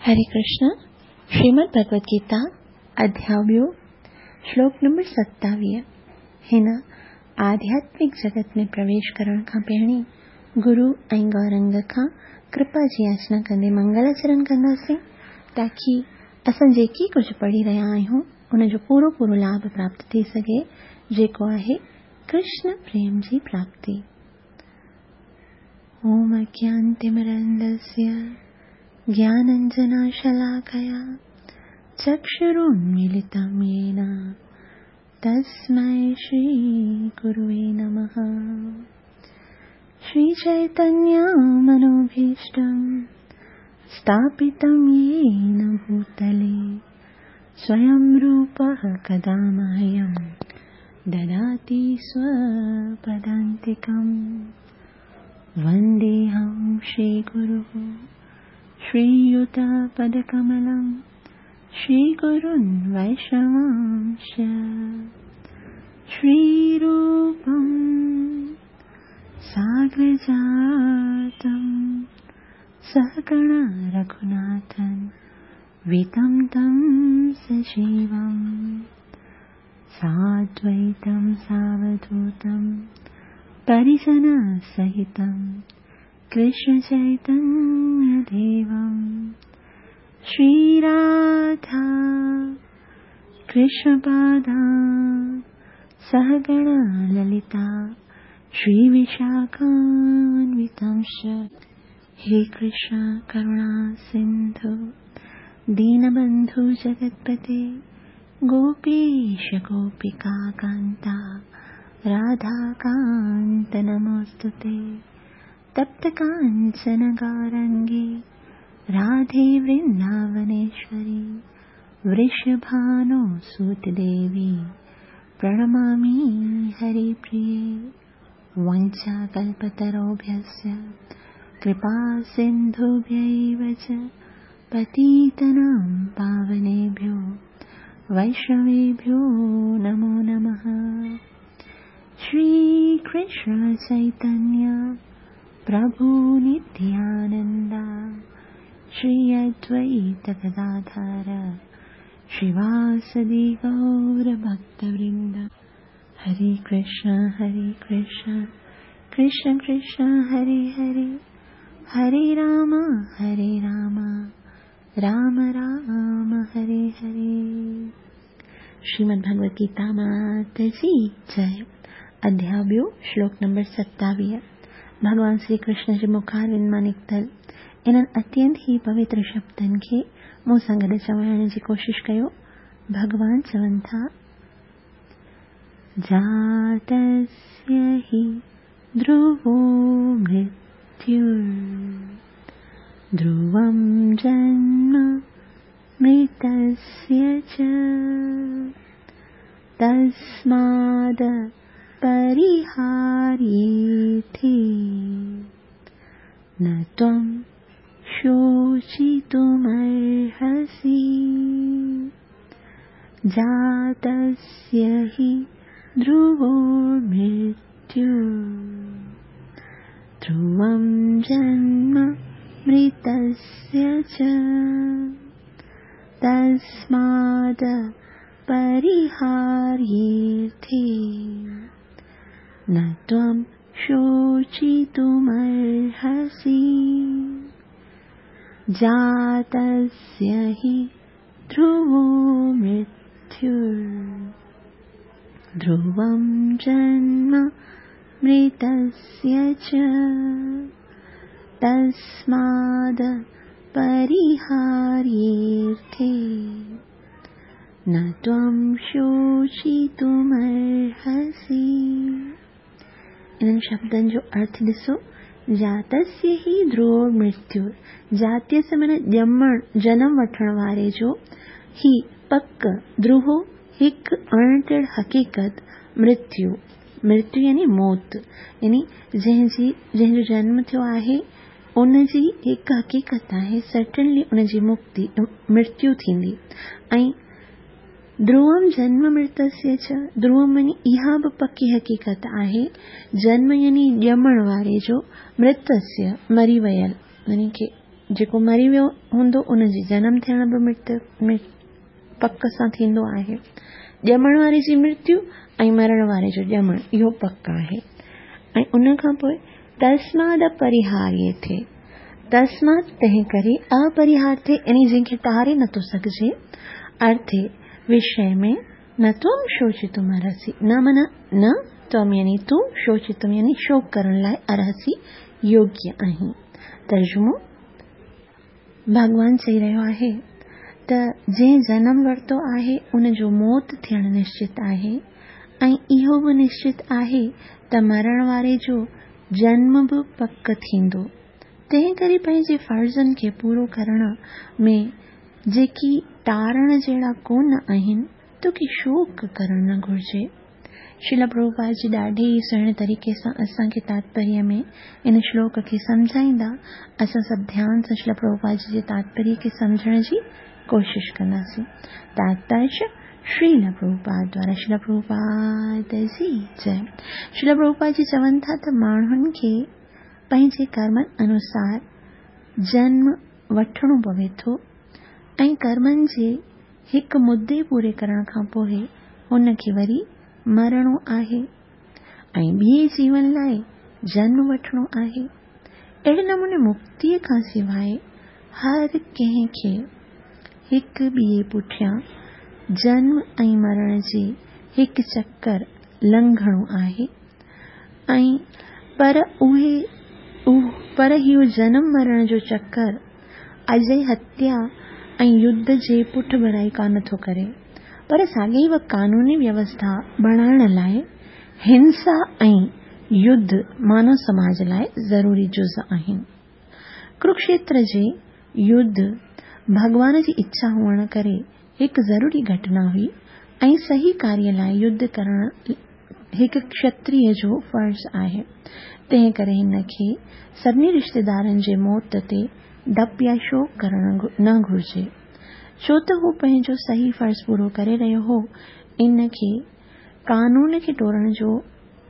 هري ڪرشن، شريمد ڀڳوت گيتا، اڌياء ٻيو، شلوڪ نمبر 27. هن آڌياتمڪ جڳت ۾ پرويش ڪرڻ کان پهرين گرو ۽ گورنگ کان ڪرپا جي ياچنا ڪندي منگلاچرن ڪنداسين تاڪي اسان جيڪي ڪجهه پڙهي رهيا آهيون ان جو پورو پورو لاڀ پراپت ٿي سگهي جيڪو آهي ڪرشن پريم جي پراپتي. اوم اجنانتمرندسيه گياننجناشلاڪيا چڪشرونميلتم يين تسمي شري گروي نمه. شري چيتنيه منوڀيشٽم اسٿاپتم يين ڀوتلي سويم روپه ڪدا مهيم دداتي سوپدانتڪم. ونديهم شري گرو شرييتپدڪملم شري گرون ويشنواंश شري روپم ساگرجاتم سهگڻ رگهوناٿن ويتم تم سجيوم سادويتم ساوڌوتم پريجن سهتم ڪرشن چيتنيه ديوم شري راڌا ڪرشن پادا سهگڻ للتا شري وشاکانوتمش. هي ڪرشن ڪروڻا سنڌو دينبنڌو جگتپتي گوپيش گوپيڪا ڪانتا راڌا ڪانت نموستتي. تپت ڪانچن گورانگي راڌي ورنداونيشوري ورشڀانو سوت ديوي پرڻمامي هري پريي. وانڇا ڪلپتروڀيسچ ڪرپا سنڌوڀيو چ پتيتنام پاونيڀيو ويشنويڀيو نمو نمه. شري ڪرشن چيتنيه پرڀو نتيانندا شري ادويت گداڌر شريواسدي گور ڀڪت ورند. هري ڪرشن هري ڪرشن ڪرشن ڪرشن هري هري هري رام هري رام رام رام هري هري. شريمد ڀڳوت گيتا مات جي جئي. اڌياء ٻيو، شلوڪ نمبر 27. ڀڳوان شري ڪرشن جي مکاروند مان نڪتل انهن اتينت ئي پوتر شبدن کي مون سان گڏ چوائڻ جي ڪوشش ڪيو. ڀڳوان چون ٿا، جاتسيه هي ڌروو مرتيور ڌروم جنم مرتسيه چ تسماد پريهاريٿي نه تم شوچتمرهسي. جاتسيه هي ڌروو مرتيور ڌروم جنم مرتسيه چ تسماد پريهاريٿي نه تم شوچتمرهسي. جاتسيه هي ڌروو مرتيور ڌروم جنم مرتسيه چ تسماد پريهاريٿي نه تم شوچتمرهسي. انهن شبدن جو ارٿ ڏسو. جاتسيه هي ڌروو مرتيور، جاتيس معنيٰ ڄمڻ، جنم وٺڻ واري جو، هي پڪ، ڌروو هڪ اڻٽر حقيقت، مرتيو، مرتيو يعني موت، يعني جنهن جو جنم ٿيو آهي ان جي هڪ حقيقت آهي، سرٽنلي ان جي مڪتي، مرتيو ٿيندي. ۽ ڌروم جنم مرتسيه چ، ڌروم يعني اها به پڪي حقيقت آهي، جنم يعني ڄمڻ واري جو، مرتسيه مري ويل، يعني ڪي جيڪو مري ويو هوندو ان جي جنم ٿيڻ به مرتيو پڪ سان ٿيندو آهي. ڄمڻ واري جي مرتيو ۽ مرڻ واري جو ڄمڻ اهو پڪ آهي. ۽ ان کان پوء تسماد اپريهاريه تسمات تنهن ڪري اپريهاريه يعني جنهن کي ٽاري نٿو سگهجي ارٿي وشي ۾ نه تم شوچتم ارهسي نه معنيٰ نه تم يعني تون شوچتم يعني شوڪ ڪرڻ لاء ارهسي يوگيه آهين. ترجمو، ڀڳوان چئي رهيو آهي ته جنهن جنم ورتو آهي ان جو موت ٿيڻ نشچت آهي ۽ اهو به نشچت آهي ته مرڻ واري جو جنم به پڪ ٿيندو. تنهن ڪري پنهنجي فرضن کي پورو ڪرڻ ۾ جيڪي ٽارڻ جهڙا ڪونه آهن، توکي شوڪ ڪرڻ نه گهرجي. شريلا پرڀوپاد جي ڏاڍي ئي سهڻي طريقي سان اسان کي تاتپريه ۾ ان شلوڪ کي سمجهائيندا. اسان سڀ ڌيان سان شريلا پرڀوپاد جي جي تاتپريه کي سمجهڻ جي ڪوشش ڪنداسين. تاتپريه شريلا پرڀوپاد دوارا شريلا پرڀوپاد جي جئي. شريلا پرڀوپاد جي چون ٿا ته ماڻهن کي پنهنجي ڪرمن انوسار جنم وٺڻو پوي ٿو ۽ ڪرمن جي هڪ مدي پوري ڪرڻ کان پوء هن کي وري مرڻو آهي ۽ ٻئي جيون لاء جنم وٺڻو آهي. اهڙي نموني مڪتيء کان سواء هر ڪنهن کي هڪ ٻئي پٺيان جنم ۽ مرڻ جي هڪ چڪر لنگهڻو آهي ۽ پر اهي پر اهو جنم مرڻ جو چڪر اجائي هتيا ۽ يڌ جي پٺڀرائي ڪانه ٿو ڪري، پر ساڳئي وقت قانوني ويوسٿا بڻائڻ لاء هنسا ۽ يڌ مانو سماج لاء ضروري جز آهن. ڪروڪشيتر جي يڌ ڀڳوان جي اڇا هئڻ ڪري هڪ ضروري گهٽنا هئي ۽ صحيح ڪاريه لاء يڌ ڪرڻ هڪ کشتريه جو فرض آهي، تنهن ڪري هن کي سڀني رشتيدارن جي موت تي ڊپ يا شوڪ ڪرڻ نه گهرجي. ڇو ته هو پنهنجو صحيح فرض پورو ڪري رهيو هو، ان کي قانون کي ٽوڙڻ جو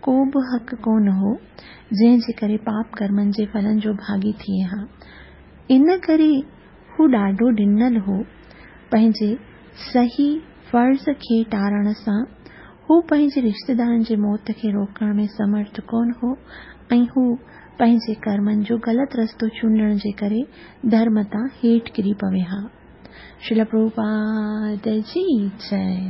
ڪو به حق ڪونه هو، جنهن جي ڪري پاپ ڪرمن جي ڦلن جو ڀاڳي ٿئي ها. ان ڪري هو ڏاڍو ڊنل هو. پنهنجي صحيح فرض کي ٽارڻ سان هو پنهنجي رشتيدارن جي موت کي روڪڻ ۾ سمرٿ ڪونه هو ۽ هو پنهنجي ڪرمن جو غلط رستو چونڊڻ جي ڪري ڌرم تان هيٺ ڪري پوي ها. شريلا پرڀوپاد جي جئي.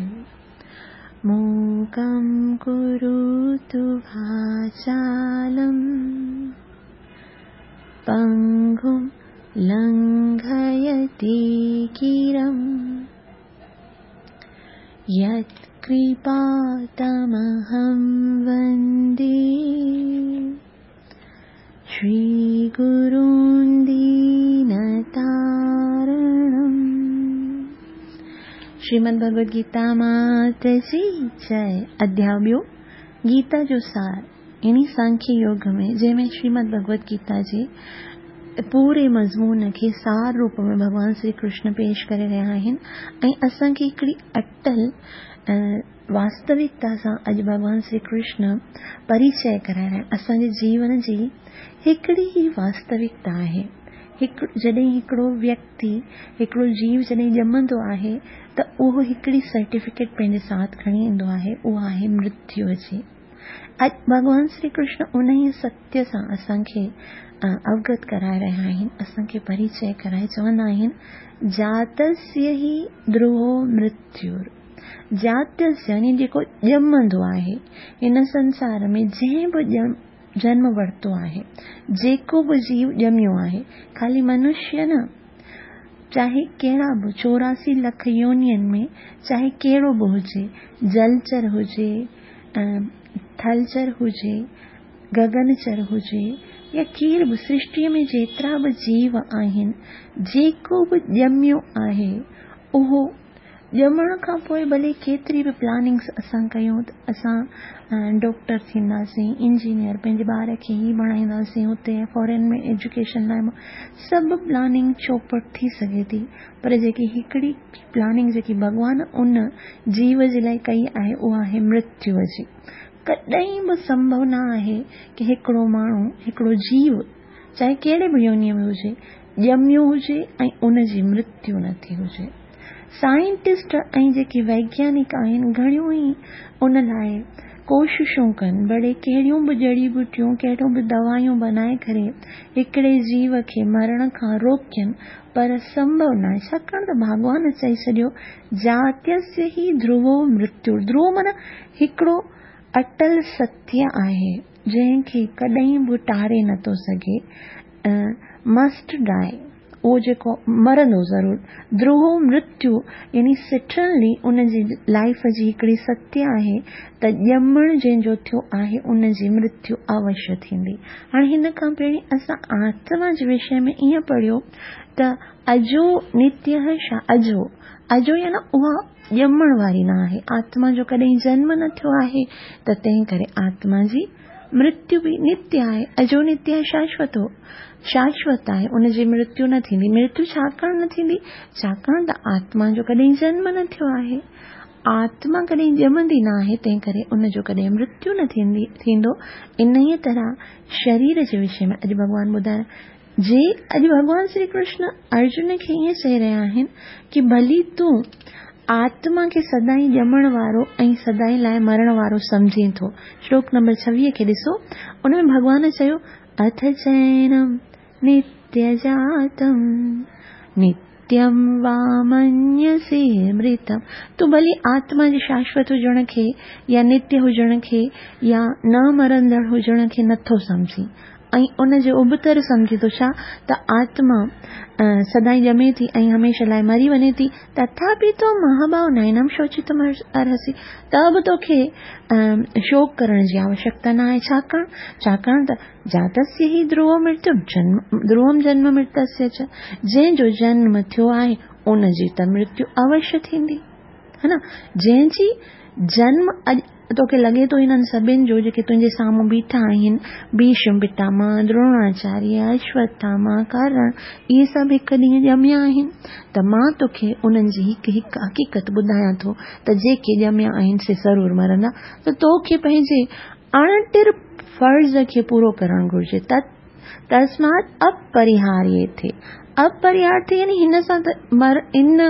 موڪم ڪروتو واچالم پنگم لنگهيتي گرم يتڪرپا تمهم وندي شري گرون دينتارڻم. شريمد ڀڳوت گيتا مات جي جئي اڌياء ٻيو گيتا جو سار يعني سانکيه يوگ ۾ جنهن ۾ شريمد ڀڳوت گيتا جي پوري مضمون کي سار روپ ۾ ڀڳوان شري ڪرشن پيش ڪري رهيا آهن ۽ اسان کي هڪڙي اٽل واستوڪتا سان اڄ ڀڳوان شري ڪرشن پريچئه ڪرائي رهيا آهن. اسان جي جيون جي هڪڙي ئي واستوڪتا آهي. هڪ جڏهن هڪڙو ويڪتي هڪڙو جيو جڏهن ڄمندو آهي ته اهو هڪڙي سرٽيفڪيٽ پنهنجي ساٿ کڻي ايندو آهي اها آهي مرتيو جي. اڄ ڀڳوان شري ڪرشن انهيء ستيه سان اسان کي اوگت ڪرائي رهيا آهن، اسان کي پريچئه ڪرائي چوندا آهن، جاتسيه هي ڌروو مرتيور. جاتسيه يعني جيڪو ڄمندو آهي، هن سنسار ۾ جنهن به جنم ورتو آهي، جيڪو به جيو ڄميو آهي، خالي منشيه نه، چاهي ڪهڙا به 84 لک يونين ۾ چاهي ڪهڙو به هجي، جلچر هجي، ٿلچر هجي، گگنچر هجي يا ڪير به سرشٽيء ۾ جيترا به جيو آهن، جيڪو به ڄميو آهي، اهو ڄمڻ کان پوء ڀلي ڪيتري به پلاننگس اسان ڪيون ته اسان ڊاڪٽر ٿينداسين، انجنيئر، پنهنجي ٻار کي هي بڻائينداسين، هتي فارين ۾ ايجوڪيشن لاء سڀ پلاننگ چوپٽ ٿي سگهي ٿي پر جيڪي هڪڙي پلاننگ جيڪي ڀڳوان ان جيو جي لاء ڪئي آهي اها آهي مرتيو جي. ڪڏهن به سنڀو نه آهي ڪي هڪڙو ماڻهو، هڪڙو جيو چاهي ڪهڙي به يونيء ۾ هجي، ڄميو هجي ۽ ان جي مرتيو نه ٿي هجي. سائنٽسٽ ۽ جيڪي ويگيانڪ آهن گهڻيون ئي ان لاء ڪوششون ڪن ڀلي ڪهڙيون به جڙي ٻوٽيون ڪهڙيون به دوايون بنائي ڪري هڪڙي جيو کي مرڻ کان روڪين پر سنڀو ناهي ڇاڪاڻ ته ڀاڳوان چئي ڇڏيو جاتيس هي ڌروو مرتيو ڌروو معنيٰ هڪڙو اٽل ستيه آهي جنهن کي ڪڏهن به ٽاري نٿو سگهي مسٽ ڊائي اهو جيڪو مرندو ضرور ڌروو مرتيو يعني سٽرنلي ان جي لائيف جي هڪڙي ستيه آهي ته ڄمڻ جنهن جو ٿيو آهي ان جي مرتيو اوشيه ٿيندي. هاڻي هن کان پهرين اسان آتما جي وشي ۾ ائين پڙهيو ته اجو نتيه شا اجو اجو يعني اها ڄمڻ واري نه آهي آتما جو ڪڏهن جنم نه ٿيو آهي ته تنهن ڪري آتما جي مرتيو به نتيه آهي اجو نتيه شاشوتو شاشوت آهي ان جي مرتيو نه ٿيندي مرتيو ڇاڪاڻ نه ٿيندي ڇاڪاڻ ته آتما جو ڪڏهن جنم نه ٿيو آهي آتما ڪڏهن ڄمندي نه آهي تنهن ڪري ان جو ڪڏهن مرتيو نه ٿيندي ٿيندو انهيء طرح شرير جي وشي ۾ اڄ ڀڳوان ٻڌائڻ جي اڄ ڀڳوان شري ڪرشن ارجن کي ائين چئي رهيا آهن ڪي ڀلي تون آتما کي سدائين ڄمڻ وارو ۽ سدائين لاء مرڻ وارو سمجهين ٿو. شلوڪ نمبر 26 کي ڏسو ان ۾ ڀڳوان چيو اٿ چينم نتيه جاتم نتيم وا منيسي مرتم تون ڀلي آتما جي شاشوت هجڻ کي يا نتيه هجڻ کي يا نه مرندڙ هجڻ کي نٿو سمجهين ۽ ان جي ابتڙ سمجهي ٿو ڇا ته آتما سدائين ڄمي ٿي ۽ هميشه لاء مري وڃي ٿي، تٿاپي تون مهاباهو نينم شوچتم ارهسي، ته به توکي شوڪ ڪرڻ جي آوشڪتا نه آهي، ڇاڪاڻ ڇاڪاڻ ته جاتسيه هي ڌروو مرتيو ڌروم جنم مرتسيه چ، جنهن جو جنم ٿيو آهي ان جي ته مرتيو اوشيه ٿيندي. ها نه جنهن جي جنم اڄ توکي لڳي ٿو هنن سڀن جو جيڪي تنهنجي سامهون بيٺا آهن ڀيشم پتامه دروناچاريه اشوٿاما ڪرڻ اهي سڀ هڪ ڏينهن ڄميا آهن ته مان توکي انهن جي هڪ هڪ حقيقت ٻڌايان ٿو ته جيڪي ڄميا آهن سي ضرور مرندا ته توکي پنهنجي اڻٽر فرض کي پورو ڪرڻ گهرجي تت تسمات اپريهاريه ٿئي. اپريهار ٿئي يعني هن سان ته مر ان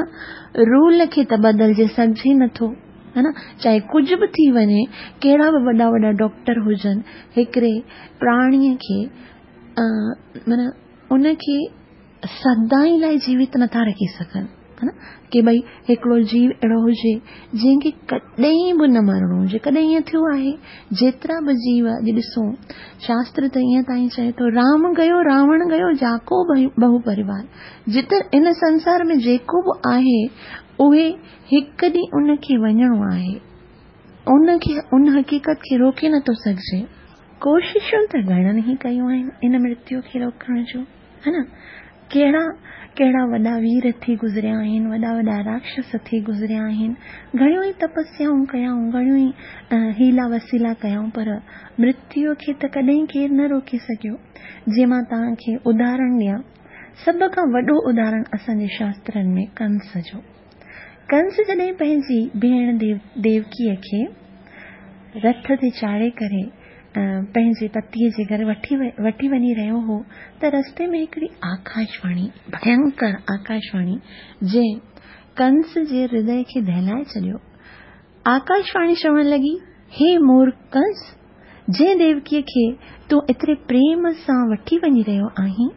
رول کي ته بدلجي سگهجي نٿو ها نه چاهي ڪجهه به ٿي وڃي ڪهڙا به وڏا وڏا ڊاڪٽر هجن هڪڙي پراڻيء کي معنيٰ ان کي سدائين لاء جيوت نٿا رکي سگهن ها نه ڪي ڀئي هڪڙو جيو اهڙو هجي جنهن کي ڪڏهن به نه مرڻو هجي ڪڏهن ائين ٿيو آهي جيترا به جيو اڄ ڏسون شاستر ته ائين تائين چئي ٿو رام گيو راوڻ گيو جاڪو بهو پريوار جت ان سنسار ۾ جيڪو به آهي اهي هڪ ڏينهن ان کي وڃڻو آهي ان کي ان حقيقت کي روڪي نٿو سگهجي ڪوششون ته گهڻن ئي ڪيون آهن ان مرتيو کي روڪڻ جون ها نه ڪهڙا ڪهڙا وڏا وير ٿي گذريا آهن وڏا وڏا راڪشس ٿي گذريا آهن گهڻيون ئي تپسيائون ڪيائون گهڻيون ئي حيلا وسيلا ڪيائون پر مرتيو کي ته ڪڏهن ڪير نه روڪي سگهيو جيئن مان توهان کي اداهرڻ ڏيان سڀ کان وڏو اداهرڻ اسان جي شاسترن ۾ ڪنس جو ڪنس جڏهن پنهنجي ڀيڻ ديوڪيء کي رٿ تي چاڙهي ڪري پنهنجي پتيء جي گهر وٺي وڃي رهيو هو ته رستي ۾ هڪڙي آڪاشواڻي، ڀينڪر آڪاشواڻي، جنهن ڪنس جي هردي کي دهلائي ڇڏيو. آڪاشواڻي چوڻ لڳي، هي مورک ڪنس! جنهن ديوڪيء کي تون ايتري پريم سان وٺي وڃي رهيو آهين،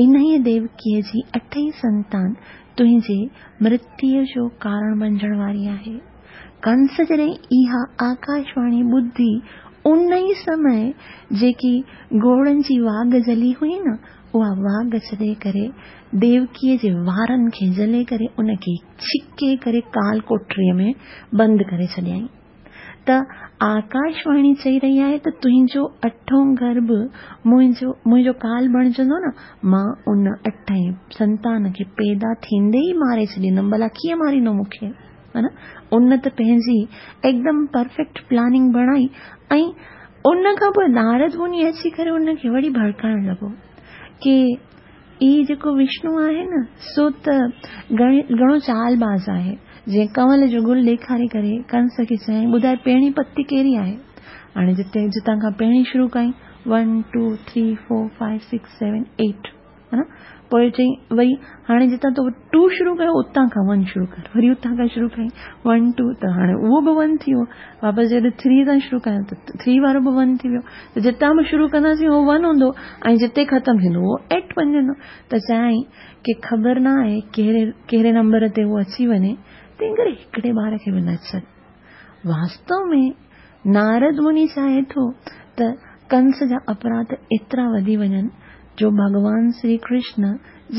انهيء ديوڪيء جي اٺين سنتان تنهنجي مرتيء جو ڪارڻ بنجڻ واري آهي. ڪنس جڏهن اها آڪاشواڻي ٻڌي، ان ئي سمي جيڪي گهوڙن جي واڳ جهلي هئي نه، اها واڳ ڇڏي ڪري ديوڪيء جي وارن کي جهلي ڪري ان کي ڇڪي ڪري ڪال ڪوٺڙيء ۾ بند ڪري ڇڏيائين. ته آڪاشواڻي چئي رهي آهي ته تنهنجو اٺون گرڀ منهنجو منهنجو ڪال بڻجندو نه، مان ان اٺين سنتان کي پيدا ٿيندي ئي ماري ڇڏيندم، ڀلا ڪيئن ماريندو مون کي؟ ها نه؟ ان ته پنهنجي هڪدم پرفيڪٽ پلاننگ بڻائي ۽ ان کان پوء نارد مني اچي ڪري ان کي وري ڀڙڪائڻ لڳو ڪي هي جيڪو وشنو آهي نه سو ته گهڻو چال باز آهي. جيئن ڪنول جو گل ڏيکاري ڪري ڪنس کي چيائين ٻڌاء پهرين پتي ڪهڙي آهي؟ هاڻي جتي جتان کان پهرين شروع ڪيائين one two three four five six seven eight. ها نه؟ پوء چئي وري هاڻي جتان تو ٽو شروع ڪيو اتان کان ون شروع ڪر. وري اتان کان شروع ڪيائين ون ٽو ته هاڻي اهو به ون ٿي ويو. واپس جڏهن ٿري تان شروع ڪيائين ته ٿري وارو به ون ٿي ويو. ته جتان به شروع ڪنداسين اهو ون هوندو ۽ جتي ختم ٿيندو اهو ايٽ بنجندو. ته چيائين ڪي خبر نه آهي ڪهڙي ڪهڙي نمبر تي اهو اچي وڃي، تنهن ڪري هڪڙي ٻار کي به نه ڇڏ. واستو ۾ نارد مني چاهي ٿو ته ڪنس جا اپراڌ ايترا وڌي وڃن جو ڀڳوان شري ڪرشن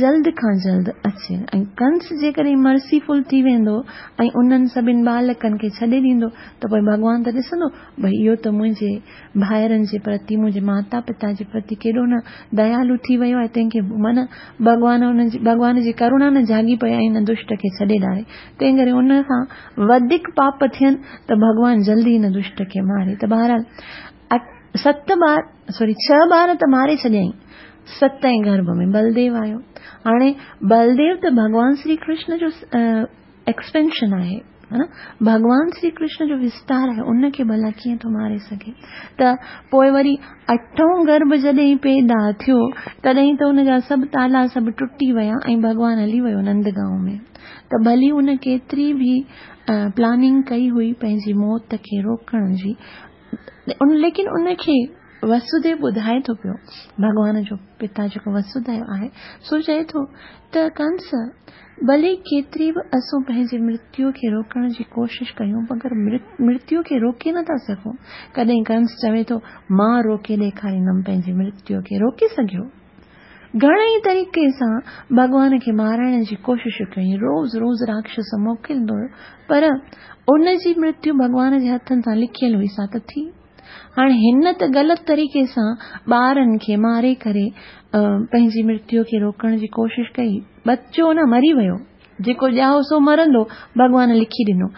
جلد کان جلد اچي ۽ ڪنس جيڪڏهن مرسيفل ٿي ويندو ۽ انهن سڀن ٻالڪن کي ڇڏي ڏيندو ته پوء ڀڳوان ته ڏسندو ڀئي اهو ته منهنجي ڀائرن جي پرتي منهنجي ماتا پتا جي پرتي ڪيڏو نه ديالو ٿي ويو آهي تنهن کي من ڀڳوان ان جي ڀڳوان جي ڪروڻا نه جاڳي پئي ۽ ان دشٽ کي ڇڏي ڏاري تنهن ڪري ان کان وڌيڪ پاپ ٿين ته ڀڳوان جلدي ان دشٽ کي ماري ته بهرحال ست ٻار سوري ڇهه ٻار ته ماري ڇڏيائين ستين گرڀ ۾ بلديو آيو هاڻي بلديو ته ڀڳوان شري ڪرشن جو ايڪسپينشن آهي ها نه ڀڳوان شري ڪرشن جو وستار آهي ان کي ڀلا ڪيئن ٿو ماري سگهي ته پوء وري اٺون گرڀ جڏهن پيدا ٿيو تڏهن ته ان جا سڀ تالا سڀ ٽٽي ويا ۽ ڀڳوان هلي ويو نندگائون ۾ ته ڀلي ان ڪيتري به پلاننگ ڪئي هئي پنهنجي موت کي روڪڻ جي ان ليڪن ان کي وسوديو ٻڌائي ٿو پيو ڀڳوان جو پتا جيڪو وسوديو آهي سو چئي ٿو ته ڪنس ڀلي ڪيتري به اسون پنهنجي مرتيو کي روڪڻ جي ڪوشش ڪيون مگر مرتيو کي روڪي نٿا سگهون. ڪڏهن ڪنس چوي ٿو مان روڪي ڏيکاريندم پنهنجي مرتيو کي روڪي سگهيو؟ گهڻي ئي طريقي سان ڀڳوان کي مارائڻ جي ڪوشش ڪيائين روز روز راڪشس موڪليندو هيو پر ان جي مرتيو ڀڳوان جي هٿن سان لکيل هئي سا ته ٿي. هاڻي هن ته غلط طريقي سان ٻارن کي ماري ڪري پنهنجي مرتيو کي روڪڻ جي ڪوشش ڪئي. بچو نه مري ويو. جيڪو ڄائو سو مرندو ڀڳوان لکي ڏنو.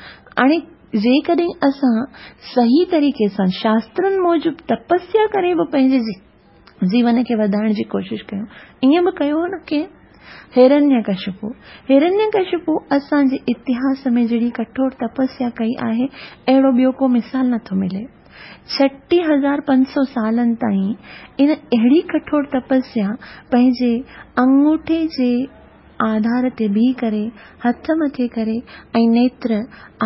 هاڻي جيڪڏهن اسان صحيح طريقي سان شاسترن موجب تپسيا ڪري به پنهنجي جيون کي وڌائڻ جي ڪوشش ڪيون. ائين به ڪيو هو نه ڪنهن؟ هرنيه ڪشپو. هرنيه ڪشپو اسان جي اتهاس ۾ جهڙي ڪٺور تپسيا ڪئي آهي، اهڙو ٻيو ڪو مثال نه ٿو ملي. 26500 سالن تائين ان اهڙي ڪٺور تپسيا پنهنجي انگوٺي جي آڌار تي بيهي ڪري، هٿ مٿي ڪري ۽ نيتر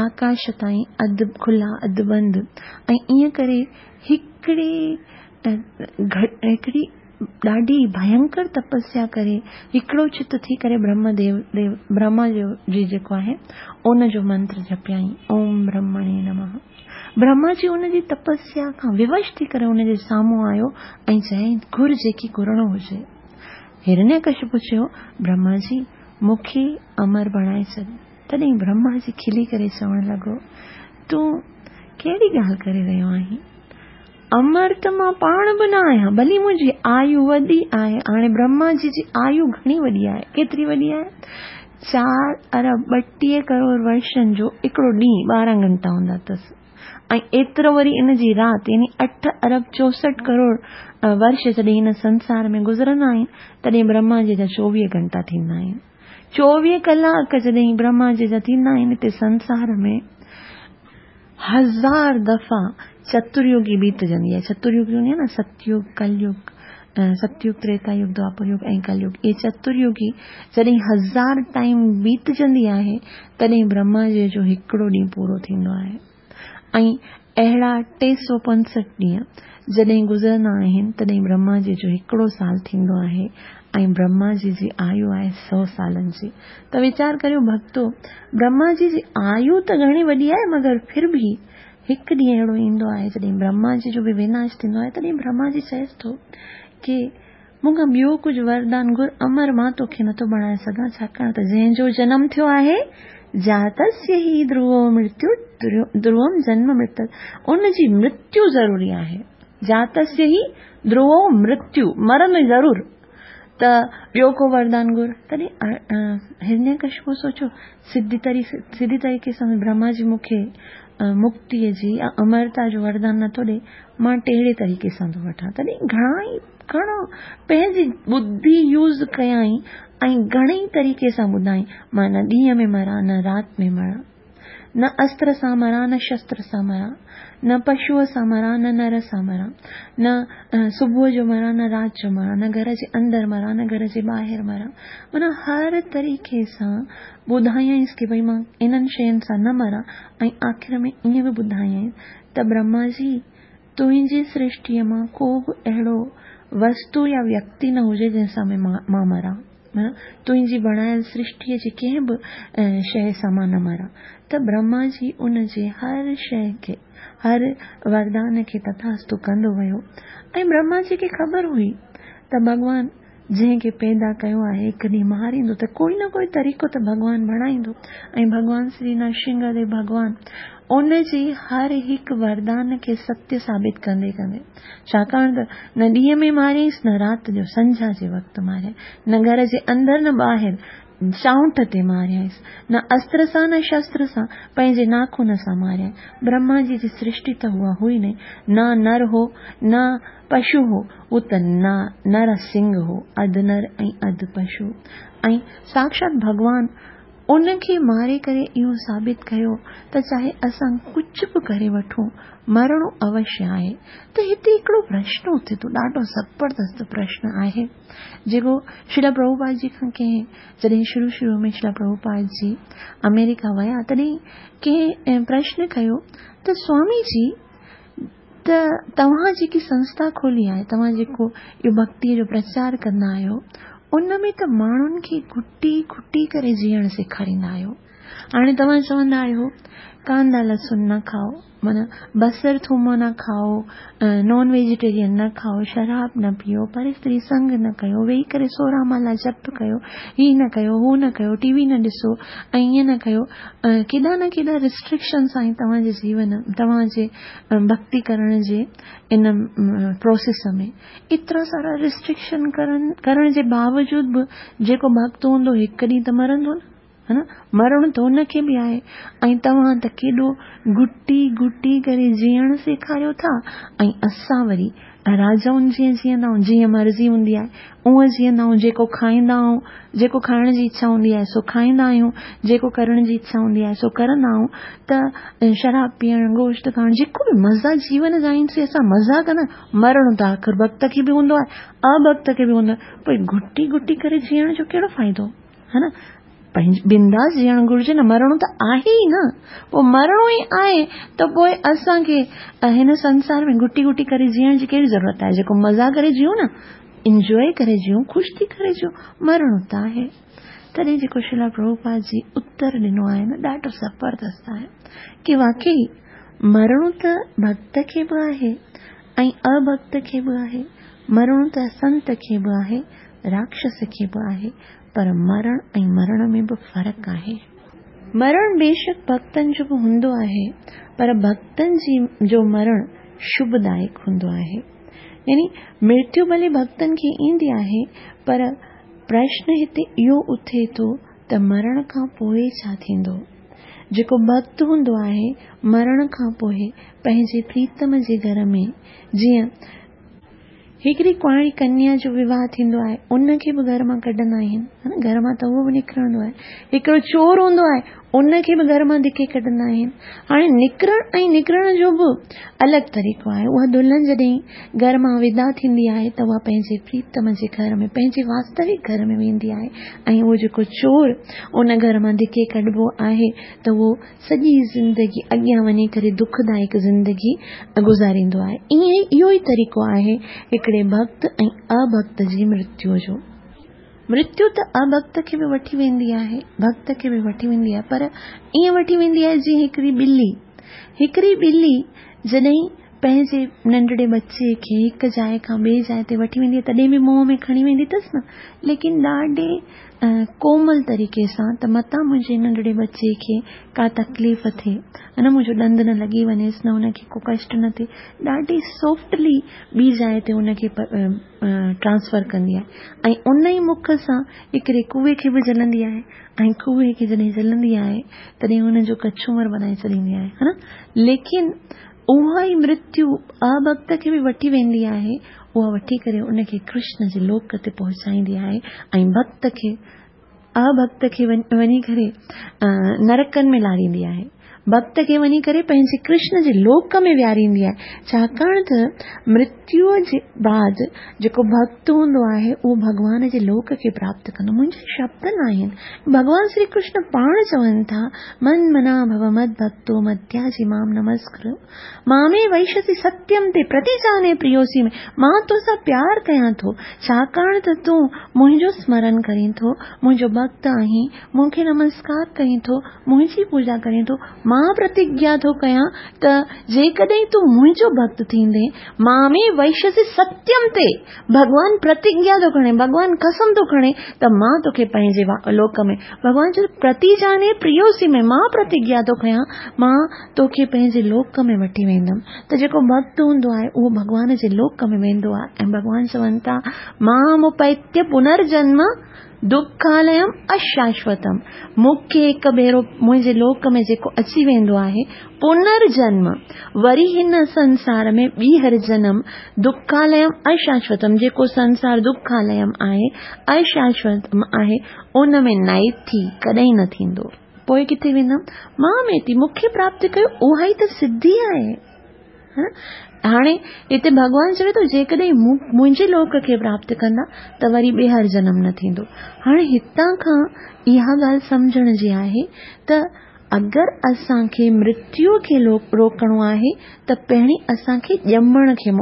آڪاش تائين اڌ کلا اڌ بند ۽ ائين ڪري هڪڙي هڪڙي ڏاڍي ڀينڪر تپسيا ڪري هڪڙو چت ٿي ڪري برهم ديو ديو برهما جو جي جيڪو آهي ان جو منتر جپيائين اوم برهمڻي نمه برهما جي ان جي تپسيا کان ووش ٿي ڪري ان جي سامهون آيو ۽ چيائين گهر جيڪي گهرڻو هجي هرنيه ڪشپ چيو برهما جي مون کي امر بڻائي ڇڏ تڏهن برهما جي کلي ڪري چوڻ لڳو تون ڪهڙي ڳالهه ڪري رهيو آهين امر ته مان پاڻ به نه آهيان، ڀلي منهنجي آيو وڏي آهي. هاڻي برهما جي جي آيو گهڻي وڏي آهي؟ ڪيتري وڏي آهي؟ چار ارب ٻٽيهه ڪروڙ ورشن جو هڪڙو ڏينهن ٻارهن گهنٽا هوندا اٿس ۽ ايترو وري ان جي رات يعني اٺ ارب چوسٺ ڪروڙ ورش جڏهن هن سنسار ۾ گذرندا آهن تڏهن برهما جي جا چوويهه گهنٽا ٿيندا آهن. چوويهه ڪلاڪ جڏهن برهما جي جا ٿيندا آهن هتي سنسار ۾ هزار دفعا چتريگي بيتجندي آهي. چتريگي هوندي آهي نه ستيگ، ڪليگ، ستيگ، تريتا يگ، دوآپر يگ ۽ ڪليگ. اهي چتريگي جڏهن هزار ٽائيم بيتجندي آهي تڏهن برهما جي جو هڪڙو ڏينهن پورو ٿيندو آهي ۽ اهڙا 365 ڏينهن جڏهن گذرندا آهن تڏهن برهما جي جو هڪڙو سال ٿيندو آهي ۽ برهما جي جي آيو آهي سو سالن جي. ته ويچار ڪريو ڀڳتو، برهما جي جي آيو ته گهڻي وڏي آهي مگر ڦر به هڪ ڏينهن اهڙو ايندو آهي جڏهن برهما جي جو به وناش ٿيندو آهي تڏهن برهما جي چئيس ٿو ڪي مون کان ٻيو ڪجهه وردان گهر امر مان توکي نٿو بڻائي سگهان ڇاڪاڻ ته جنهن جو جنم ٿيو آهي جاتسيه هي ڌروو مرتيو ڌروم جنم مرت ان جي مرتيو ضروري آهي جاتسيه هي ڌروو مرتيو مرندو ضرور ته ٻيو ڪو وردان گهر. تڏهن هرنيڪشپو سوچيو، سڌي سڌي طريقي سان برهما جي مون کي مڪتيء جي يا امرتا جو وردان نٿو ڏئي، مان ٽيڙي طريقي سان ٿو وٺان. تڏهن گهڻا ئي گهڻو پنهنجي ٻڌي يوز ڪيائين ۽ گهڻي ئي طريقي سان ٻڌائين، مان نه ڏينهن ۾ مران نه رات ۾ مران. نه استر سان مران نه شستر سان مران، نه پشوء سان مران نه نر سان مران، نه صبح جو مران نه رات جو مران، نه گهر جي اندر مران نه گهر جي ٻاهر مران. معنيٰ هر طريقي سان ٻڌايائينس ڪي ڀئي مان انهن شين سان نه مران ۽ آخر ۾ ائين به ٻڌايائينس ته برهما جي تنهنجي سرشٽيء مان ڪو به اهڙو وستو يا ويڪتي نه هجي جنهن سان مان مران. معنيٰ تنهنجي بڻايل سرشٽيء جي ڪنهن به شيء سان مان نه مران. ته برهما جي ان جي هر شيء کي، هر وردان کي تٿاستو ڪندو ويو ۽ برهما جي کي خبر هئي ته ڀڳوان جنهن کي پيدا ڪيو آهي هڪ ڏينهن ماريندو ته ڪوئي نه ڪوئي طريقو ته ڀڳوان بڻائيندو ۽ ڀڳوان سري نرسنگهه ديو ڀڳوان ان جي هر هڪ وردان کي ستيه ثابت ڪندي ڪندي ڇاڪاڻ ته نه ڏينهن ۾ ماريائينس نه رات جو سنجها جي وقت ماريائين نه گهر جي اندر نه ٻاهر چانئٺ تي ماريائينس نه استر سان نه شستر سان پنهنجي ناخن سان ماريائين برهما جي جي سرشٽي ته اها هئي نه نه نر هو نه پشو هو، هو ته نر سنگهه هو، اڌ نر ۽ اڌ پشو ۽ ساڪشات ڀڳوان ان کي ماري ڪري اهو ثابت ڪيو ته چاهي اسان ڪجهه به ڪري وٺون، مرڻو اوشيه آهي. ته هتي هڪڙو پرشن اٿي ٿو، ڏاڍو زبردست پرشن آهي، جيڪو شريلا پرڀوپاد جي کان ڪنهن جڏهن شروع شروع ۾ شريلا پرڀوپاد جي آمريڪا ويا، تڏهن ڪنهن پرشن ڪيو ته سوامي جي ته توهان جيڪي سنسٿا کولي آهي، توهان جيڪو اهو ڀڳتيء جو پرچار ڪندا آهيو، ان ۾ ته ماڻهن کي گهٽي گهٽي ڪري جيئڻ سيکاريندا آهيو. هاڻي توهان چوندا آهيو، ڪاندا لسن نه کائو، معنيٰ بصر ٿوم نه کائو، نان ويجيٽيرين نه کائو، شراب نه پيئو، پر استري سنگ نه ڪيو، ويهي ڪري سورهن مالا جپ ڪيو، هي نه ڪيو، هو نه ڪيو، ٽي وي نه ڏسو ۽ ائين نه ڪيو. ڪيڏا نه ڪيڏا ريسٽرڪشنس آهن توهان جي جيون، توهان جي ڀڳتي ڪرڻ جي ان پروسيس ۾ ايترا سارا ريسٽرڪشن ڪرڻ جي باوجود به جيڪو ڀڳت هوندو هڪ ڏينهن ته مرندو نه ها نه مرڻو ته ان کي به آهي ۽ توهان ته ڪيڏو گهٽي گهٽي ڪري جيئڻ سيکاريو ٿا ۽ اسان وري راجائن جيئن جيئندا آهيون، جيئن مرضي هوندي آهي، اونئن جيئندا آهيون، جيڪو کائيندا آهيون، جيڪو کائڻ جي اڇا هوندي آهي، سو کائيندا آهيون، جيڪو ڪرڻ جي اڇا هوندي آهي، سو ڪرندا آهيون ته شراب پيئڻ، گوشت کائڻ، جيڪو به مزا جيون جا آهن، سي اسان مزا ڪندا آهيون. مرڻو ته آخر ڀڳت کي به هوندو آهي، اڀڳت کي به هوندو آهي، پوء گهٽي گهٽي ڪري جيئڻ جو ڪهڙو فائدو؟ ها نه؟ پنهنجي بنداس جيئڻ گهرجي نه مرڻو ته آهي ئي نه پوء مرڻو ئي آهي ته پوء اسان کي هن سنسار ۾ گهٽي گهٽي ڪري جيئڻ جي ڪهڙي ضرورت آهي جيڪو مزا ڪري جيئون نه انجوائي ڪري جيئون خوش ٿي ڪري جيئون مرڻو ته آهي تڏهن جيڪو شريلا پرڀوپاد جي اتر ڏنو آهي نه ڏاڍو زبردست آهي ڪي واقعي مرڻو ته ڀڳت کي به آهي ۽ اڀڳت کي به آهي مرڻو ته سنت کي به آهي راڪشس کي به آهي پر مرڻ ۽ مرڻ ۾ به فرق آهي. مرڻ بيشڪ ڀڳتن جو به هوندو آهي، پر ڀڳتن جي جو مرڻ شڀدائڪ هوندو آهي. يعني مرتيو ڀلي ڀڳتن کي ايندي آهي، پر پرشن هتي اهو اٿي ٿو ته مرڻ کان پوء ڇا ٿيندو؟ جيڪو ڀڳت هوندو آهي، مرڻ کان پوء پنهنجي پريتم جي گهر ۾ جيئن هڪڙي ڪنواري ڪنيا جو وواهه ٿيندو آهي ان کي به گهر مان ڪڍندا آهن ها نه گهر مان ته اهو به نڪرندو آهي هڪڙو چور هوندو آهي ان کي به گهر مان ڌڪي ڪڍندا آهن هاڻي نڪرڻ ۽ نڪرڻ جو به الڳ طريقو آهي اها دلهن جڏهن گهر مان ودا ٿيندي آهي ته اها پنهنجي پريتم جي گهر ۾ پنهنجي واستوڪ گهر ۾ ويندي آهي ۽ اهو جيڪو چور ان گهر مان ڌڪي ڪڍبو آهي ته اهو سڄي زندگي اڳيان وڃي ڪري دکدائڪ زندگي گذاريندو آهي. ائين ئي اهو ئي طريقو آهي هڪڙي ڀڳت ۽ اڀڳت جي مرتيو جو. مرتيو ته اڀڳت کي به وٺي ويندي آهي، ڀڳت کي به وٺي ويندي آهي پر ائين وٺي ويندي آهي جيئن هڪڙي ٻلي، هڪڙي ٻلي جڏهن پنهنجي ننڍڙي ٻچي کي هڪ جاء کان ٻئي جاء تي وٺي ويندي آهي تڏهن به منهن ۾ کڻي ويندي اٿس نه ليڪن ڏاڍي ڪومل طريقي سان ته متان منهنجي ننڍڙي ٻچي کي ڪا تڪليف ٿئي نه منهنجو ڏند نه لڳي وڃيس نه ان کي ڪو ڪشٽ نه ٿئي ڏاڍي سافٽلي ٻي جاء تي ان کي ٽرانسفر ڪندي آهي ۽ ان ئي مک سان هڪڙي ڪوئي کي به جهلندي آهي ۽ ڪوئي کي جڏهن جهلندي آهي تڏهن ان جو ڪچومر بنائي ڇڏيندي آهي ها نه ليڪن اها ئي مرتيو اڀڳت کي به وٺي ويندي آهي، اها وٺي ڪري ان کي ڪرشن جي لوڪ تي پهچائيندي آهي ۽ ڀڳت کي اڀڪت کي وڃي ڪري نرڪن ۾ لاڙيندي آهي. ڀڳت کي وڃي ڪري پنهنجي ڪرشن جي لوڪ ۾ ويهاريندي آهي، ڇاڪاڻ ته مرتيوء جي بعد جيڪو ڀڳت هوندو آهي اهو ڀڳوان جي لوڪ کي پراپت ڪندو. منهنجا شبد ناهن، ڀڳوان شري ڪرشن پاڻ چون ٿا، من منا ڀو مد ڀڳتو مدياجي مام نمسڪر مامي وئشسي ستيم تي پرتيجاني پريوسي ۾، مان توسان پيار ڪيان ٿو، ڇاڪاڻ ته تون منهنجو سمرن ڪرين ٿو، منهنجو ڀڳت آهين، مون کي نمسڪار ڪرين ٿو، منهنجي پوڄا ڪرين ٿو، مان پرتگيا ٿو ڪيان ته جيڪڏهن تون منهنجو ڀڳت ٿيندين، مامي وئشسي ستيم تي، ڀڳوان پرتگيا ٿو کڻي، ڀڳوان قسم ٿو کڻي ته مان توکي پنهنجي لوڪ ۾، ڀڳوان چيو ته پرتيجاني پريوسي ۾، مان پرتگيا ٿو کيان، مان توکي پنهنجي لوڪ ۾ وٺي ويندم ته جيڪو ڀڳت هوندو آهي اهو ڀڳوان جي لوڪ ۾ ويندو آهي ۽ ڀڳوان چون ٿا مامپيتي پنرجنم دکاليم اشاشوتم مون کي هڪ ڀيرو منهنجي لوڪ ۾ جيڪو اچي ويندو آهي پنرجنم وري هن سنسار ۾ ٻيهر جنم دکاليم اشاشوتم جيڪو سنسار دکاليم آهي اشاشوتم آهي ان ۾ نائٿي ڪڏهن نه ٿيندو. پوء ڪٿي ويندم؟ مان ميتي مون کي پراپت ڪيو اها ئي ته سڌي آهي. هاڻي هتي ڀڳوان چوي ٿو جيڪڏهن منهنجي لوڪ کي پراپت ڪندا ته وري ٻيهر جنم نه ٿيندو. هاڻي هتان کان اها ڳالهه سمجهڻ جي آهي ته اگر اسان کي مرتيو کي روڪڻو آهي ته پهرين اسان کي ڄمڻ کي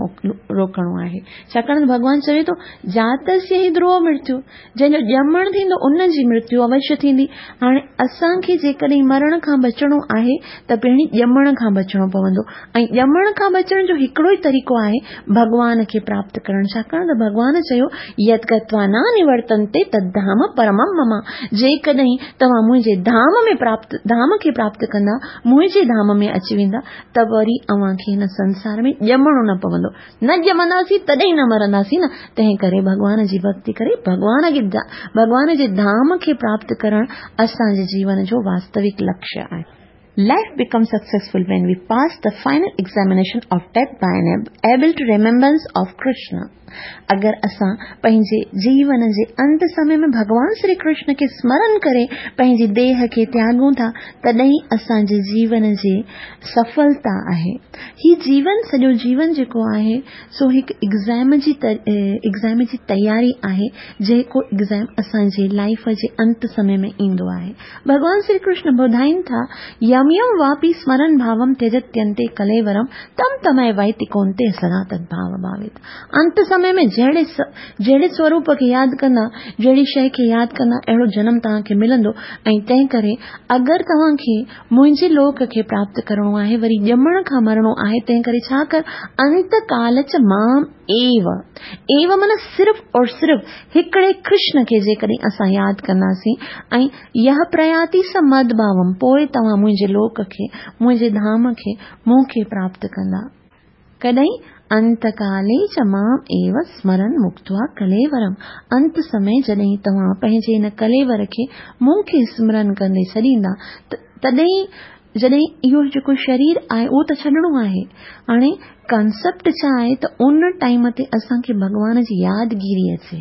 روڪڻو آهي. ڇاڪاڻ ته ڀڳوان چوي ٿو جاتسيه هي ڌرو مرتيو جنهن جو ڄمڻ ٿيندو ان جي مرتيو اوشيه ٿيندي. هاڻي اسان کي جيڪڏهن مرڻ کان بچڻو آهي ته پهرين ڄمڻ کان بچڻو پوندو ۽ ڄمڻ کان بچڻ جو هڪڙو ئي طريقو آهي ڀڳوان کي پراپت ڪرڻ ڇاڪاڻ ته ڀڳوان چيو يت گتوا نه نورتنتي تد ڌام پرمم مم جيڪڏهن توهان منهنجي ڌام ۾ پراپت ڌام کي پراپت ڪندا منهنجي ڌام ۾ اچي ويندا ته وري اوهان کي هن سنسار ۾ ڄمڻو نه پوندو. نه ڄمنداسين تڏهن نه مرنداسين نه، تنهن ڪري ڀڳوان جي ڀڳتي ڪري ڀڳوان کي ڀڳوان جي ڌام کي پراپت ڪرڻ اسان جي جيون جو واستوڪ لڪشيه آهي. Life becomes successful when we pass the final examination of death by an able to remembrance of Krishna. اگر اسان پنهنجي جيون جي انت سمي ۾ ڀڳوان شري ڪرشن کي سمرن ڪري پنهنجي ديهه کي تياڳون ٿا تڏهن اسان جي جيون جي سڦلتا آهي. هي جيون سڄو جيون جيڪو آهي سو هڪ ايگزام جي ايگزام جي تياري آهي جيڪو ايگزام اسان جي لائيف جي انت سمي ۾ ايندو آهي. ڀڳوان شري ڪرشن ٻڌائين ٿا يم يم واپي سمرن ڀاوم تيجتينتي ڪليورم تم تمئي ويتي ڪونتي سدا تد ڀاو ڀاويت انت سمي ۾ جهڙي جهڙي سوروپ کي ياد ڪندا جهڙي شيء کي ياد ڪندا اهڙو جنم توهان کي ملندو ۽ تنهن ڪري اگر توهان کي منهنجي لوڪ کي پراپت ڪرڻو آهي، وري ڄمڻ کان مرڻو آهي، تنهن ڪري ڇا ڪر، انت ڪال چ مام ايو، ايو معنيٰ صرف اور صرف هڪڙي ڪرشن کي جيڪڏهن اسان ياد ڪنداسين ۽ يه پرياتي س مد ڀاوم، پوء توهان منهنجي لوڪ کي، منهنجي ڌام کي، مون کي پراپت ڪندا. ڪڏهن انت ڪالي چ مام ايو سمرن مڪتوا ڪليورم، انت سمي جڏهن توهان پنهنجي ان ڪليور کي مون کي سمرن ڪندي ڇڏيندا تڏهن جڏهن اهو جيڪو شرير آهي اهو ته ڇڏڻو آهي هاڻي ڪانسيپٽ ڇا آهي ته ان ٽائيم تي اسان کي ڀڳوان جي يادگيري اچي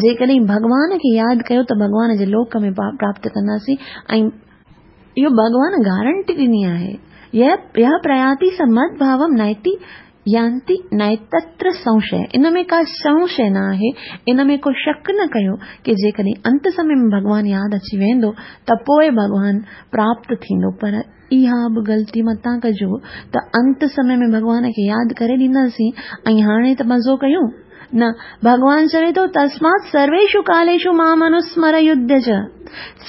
جيڪڏهن ڀڳوان کي ياد ڪيو ته ڀڳوان جي لوڪ ۾ پراپت ڪنداسين ۽ اهو ڀڳوان گارنٽي ڏني آهي. يه پرياتي س مد ڀاوم نائتي يانتي نائتتر سنشيه ان ۾ ڪا سنشيه نه آهي، ان ۾ ڪو شڪ نه ڪيو ڪي جيڪڏهن انت سمي ۾ ڀڳوان ياد اچي ويندو ته پوء ڀڳوان پراپت ٿيندو پر اها به غلطي متان ڪجو ته انت سمي ۾ ڀڳوان کي ياد ڪري ڏينداسين ۽ هاڻي ته مزو ڪيون نه، ڀڳوان چوي ٿو، تسمات سرويشو ڪاليشو مام انوسمر يڌ چ.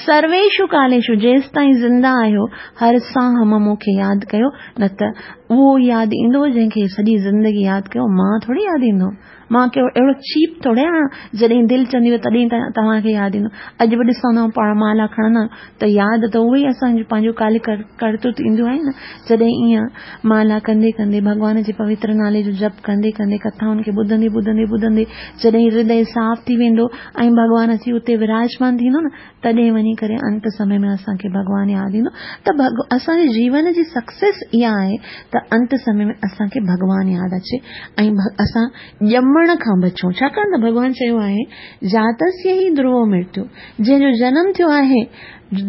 سرويشو ڪاليشو، جيستائين زنده آهيو، هر ساهه م مون کي ياد ڪيو، نه ته اهو ياد ايندو جنهن کي سڄي زندگي ياد ڪيو، مان ٿوري ياد ايندو. مان ڪهڙو اهڙو چيپ ٿوري آهيان، جڏهن دل چوندي تڏهن توهان کي ياد ايندو. اڄ به ڏسندا آهيون پاڻ مالا کڻندا آهيون ته ياد ته اهي ئي اسان جون پنهنجون ڪالي ڪرتوت اينديون آهن نه، جڏهن ائين مالا ڪندي ڪندي ڀڳوان جي پوتر نالي جو جپ ڪندي ڪندي ڪٿائن کي ٻڌندي ٻڌندي ٻڌندي جڏهن هردي صاف ٿي ويندو ۽ ڀڳوان اچي اتي وراجمان ٿيندو نه تڏهن وڃي ڪري انت سمي ۾ اسان کي ڀڳوان ياد ايندو ته اسان جي جيون جي سڪسيس اها آهي ته انت سمي ۾ اسان کي ڀڳوان ياد اچي ۽ اسان ڄمڻ ڄمڻ کان بچون. ڇاڪاڻ ته ڀڳوان چيو آهي، جاتسيه هي ڌروو مرتيو، جنهن جو جنم ٿيو آهي،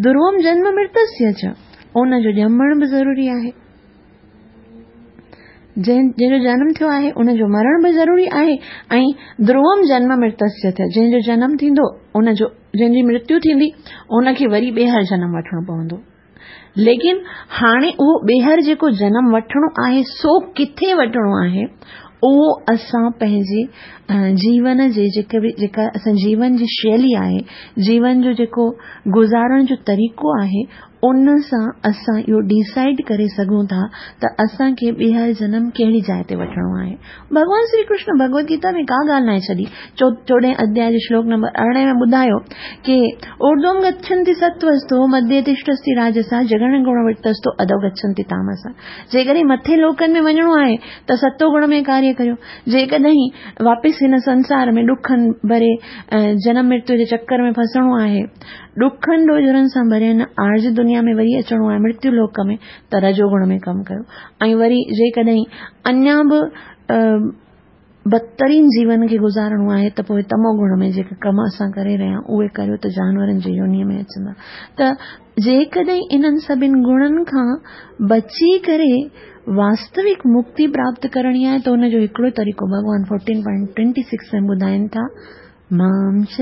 ڌروم جنم مرتسيه چ، ان جو ڄمڻ به ضروري آهي. جنهن جو جنم ٿيو آهي، ان جو مرڻ به ضروري آهي ۽ ڌروم جنم مرتسيه ٿ، جنهن جو جنم ٿيندو، ان جو جنهن جي مرتيو ٿيندي، ان کي وري ٻيهر جنم وٺڻو پوندو. ليڪن هاڻي اهو ٻيهر جيڪو جنم وٺڻو آهي سو ڪٿي وٺڻو آهي اهو اسان پنهنجي جيون جي جيڪي به جيڪا اسان جيون جي شيلي آهي جيون جو جيڪو گذارڻ جو طريقو آهي ان سان اسان اهو ڊيسائيڊ ڪري سگهون ٿا ته اسان کي ٻيهر جنم ڪهڙي جاء تي وٺڻو آهي. ڀڳوان شري ڪرشن ڀڳوت گيتا ۾ ڪا ڳالهه ناهي ڇڏي. چوڏهين اڌياء جي شلوڪ نمبر 18 ۾ ٻڌايو ڪي اورڌوم گڇنتي ستوستو مڌيه تشٽستي راجسا جگڻ گڻ ورتستو اڌو گڇنتي تامسا. جيڪڏهن مٿي لوڪن ۾ وڃڻو آهي ته ستو گڻ ۾ ڪاريه ڪريو. جيڪڏهن واپس هن سنسار ۾ ڏکن ڀري جنم مرتيو جي چڪر ۾ ڦسڻو آهي، ڏکن ڏوجهرن سان ڀريل هن عارضي دنيا ۾ وري اچڻو آهي مرتيو لوڪ ۾ ته رجو گڻ ۾ ڪم ڪيو ۽ وري جيڪڏهن اڃا به بدترين جيون کي گذارڻو آهي ته پوء تمو گڻ ۾ جيڪي ڪم اسان ڪري رهيا آهيون اهي ڪريو ته جانورن جي يونيء ۾ اچندا ته جيڪڏهن انهن سڀن گڻن کان بچي ڪري واستوڪ مڪتي پراپت ڪرڻي آهي ته ان جو هڪڙو طريقو ڀڳوان 14.26 ۾ ٻڌائين ٿا مام چ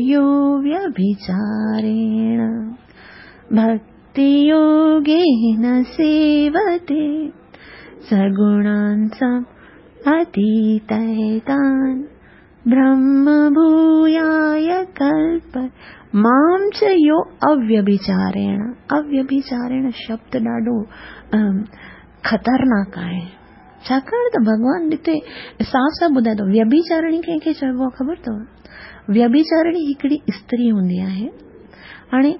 يو ويڀچاريڻ ڀڪتي يوگين سيوتي سگڻان سم اتيتيتان برهم ڀوياي ڪلپ مام چ يو اويڀچاريڻ اويڀچاريڻ شبد ڏاڍو خطرناڪ آهي ڇاڪاڻ ته ڀڳوان هتي صاف صاف ٻڌائي ٿو ويڀچارڻي ڪنهن کي چئبو آهي خبر اٿو ويڀچارڻي هڪڙي استري هوندي آهي هاڻي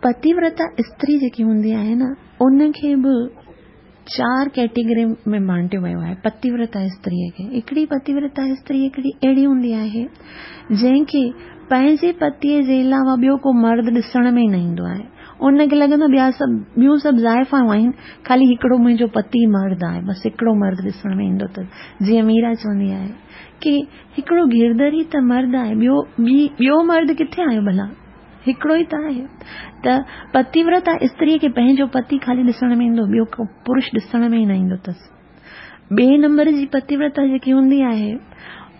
پتيورتا استري جيڪي هوندي آهي نه ان کي به چار ڪيٽيگري ۾ بانٽيو ويو آهي پتيورتا استري کي هڪڙي پتيورتا استري هڪڙي اهڙي هوندي آهي جنهن کي پنهنجي پتيء جي علاوه ٻيو ڪو مرد ڏسڻ ۾ ئي نه ايندو آهي ان کي لڳندو ٻيا سڀ ٻيون سڀ زائفائون آهن خالي هڪڙو منهنجو پتي مرد آهي بس هڪڙو مرد ڏسڻ ۾ ايندو اٿس جيئن ميرا چوندي آهي ڪي هڪڙو گرڌر ئي ته مرد آهي ٻيو ٻي ٻيو مرد ڪٿي آيو ڀلا هڪڙو ئي ته آهي ته پتيورتا استري کي پنهنجو پتي خالي ڏسڻ ۾ ايندو ٻيو ڪو پرش ڏسڻ ۾ ئي نه ايندو اٿس ٻئي نمبر جي پتيورتا جيڪي هوندي آهي،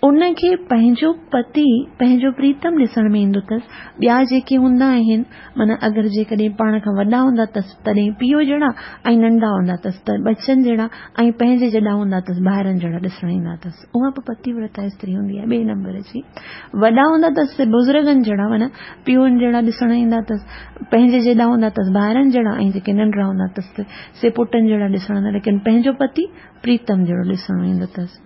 ان کي پنهنجو پتي، پنهنجو پريتم ڏسڻ ۾ ايندو اٿس. ٻيا جيڪي هوندا آهن، معنيٰ اگر جيڪڏهن پاڻ کان وڏا هوندا اٿس تڏهن پيء جهڙا ۽ ننڍا هوندا اٿس ته ٻچن جهڙا ۽ پنهنجي جيڏا هوندا اٿس ڀائرن جهڙا ڏسڻ ايندا اٿس. اها به پتيورتا استري هوندي آهي ٻئي نمبر جي. وڏا هوندا اٿس سي بزرگن جهڙا معنيٰ پيئن جهڙا ڏسڻ ايندا اٿس. پنهنجي جيڏا هوندا اٿس ڀائرن جهڙا ۽ جيڪي ننڍڙا هوندا اٿس ته سي پٽن جهڙا ڏسڻ ايندا ليڪن پنهنجو پتي پريتم جهڙو ڏسڻ ايندو اٿس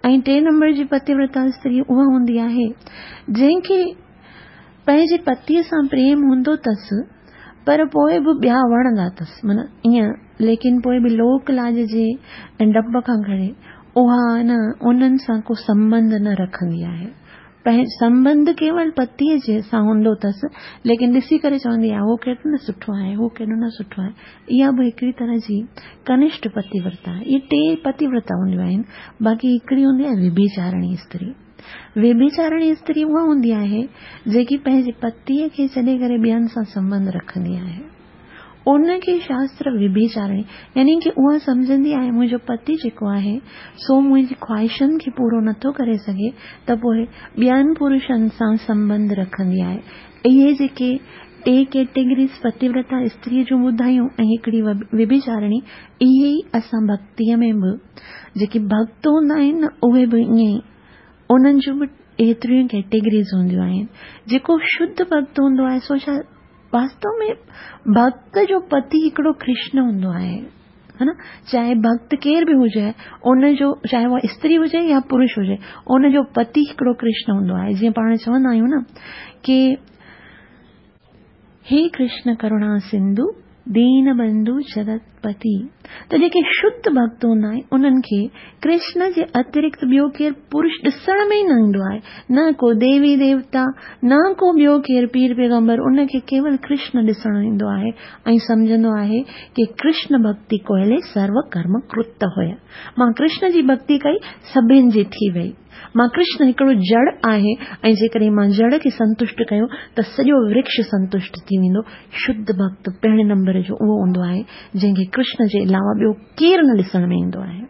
۽ ٽئين نمبر جي پتيورتا استري اها هوندي آهي جنهن کي پنهنجي پتيء سان پريم هوندو اٿس پر پوء به ٻيا وڻندا اٿس معنيٰ ائين ليڪن پوء به لوڪ لاج جي ڊپ کان ڪري اها نه انهن سان ڪو سنٻنڌ نه رکندي آهي سنٻنڌ ڪيول پتيء جي سان هوندو اٿس، ليڪن ڏسي ڪري چوندي آهي، هو ڪيڏو نه سٺو آهي، هو ڪيڏو نه سٺو آهي. اها به هڪڙي طرح جي ڪنشٽ پتيورتا آهي. اهي ٽي پتيورتا هونديون آهن. باقي هڪڙي هوندي آهي ويڀيچارڻي استري. ويڀيچارڻي استري اها هوندي آهي، جيڪي پنهنجي پتيء کي ڇڏي ڪري ٻين سان سنٻنڌ رکندي آهي. ان کي شاستر ويڀيچارڻي يعني ڪه اها سمجهندي آهي منهنجو پتي جيڪو آهي سو منهنجي خواهشن کي پورو نٿو ڪري سگهي ته پوء ٻين پرشن سان سنٻنڌ رکندي آهي. اهي جيڪي ٽي ڪيٽيگريز پتيورتا استريء جون ٻڌايون ۽ هڪڙي ويڀيچارڻي اهي ئي اسان ڀڳتيء ۾ به جيڪي ڀڳت هوندا آهن نه اهي به ائين ئي انهن جون به ايتريون ئي ڪيٽيگريز هونديون آهن. جيڪو شڌ ڀڳت هوندو آهي سو ڇا واستو ۾ ڀڳت جو پتي هڪڙو ڪرشن هوندو آهي ها نه چاهي ڀڳت ڪير به هجي ان جو چاهي اها استري هجي يا پرش هجي ان جو پتي هڪڙو ڪرشن هوندو آهي جيئن پاڻ چوندا آهيون نه ڪي هي ڪرشن ڪروڻا سنڌو دين بنڌو جگت پتي. ته جيڪي شڌ ڀڳت هوندا آهن انهن کي ڪرشن جي اترڪت ٻيو ڪير پرش ڏسڻ ۾ ئي نه ايندو آهي، نه ڪو ديوي ديوتا، نه ڪو ٻيو ڪير پير پيغمبر، ان کي ڪيول ڪرشن ڏسڻ ايندو آهي ۽ سمجهندو آهي ڪي ڪرشن ڀڳتي ڪوئلي سرو ڪرم ڪرت هئي. مان ڪرشن جي ڀڳتي ڪئي سڀن جي ٿي وئي. مان ڪرشن هڪڙو جڙ آهي ۽ جيڪڏهن مان جڙ کي سنتشٽ ڪيو ته سڄو ورڪش سنتشٽ ٿي ويندو. شڌ ڀڳت پهرين نمبر جو اهو هوندو آهي جنهن کي ڪرشن جي علاوه ٻيو ڪير نه ڏسڻ ۾ ايندو آهي.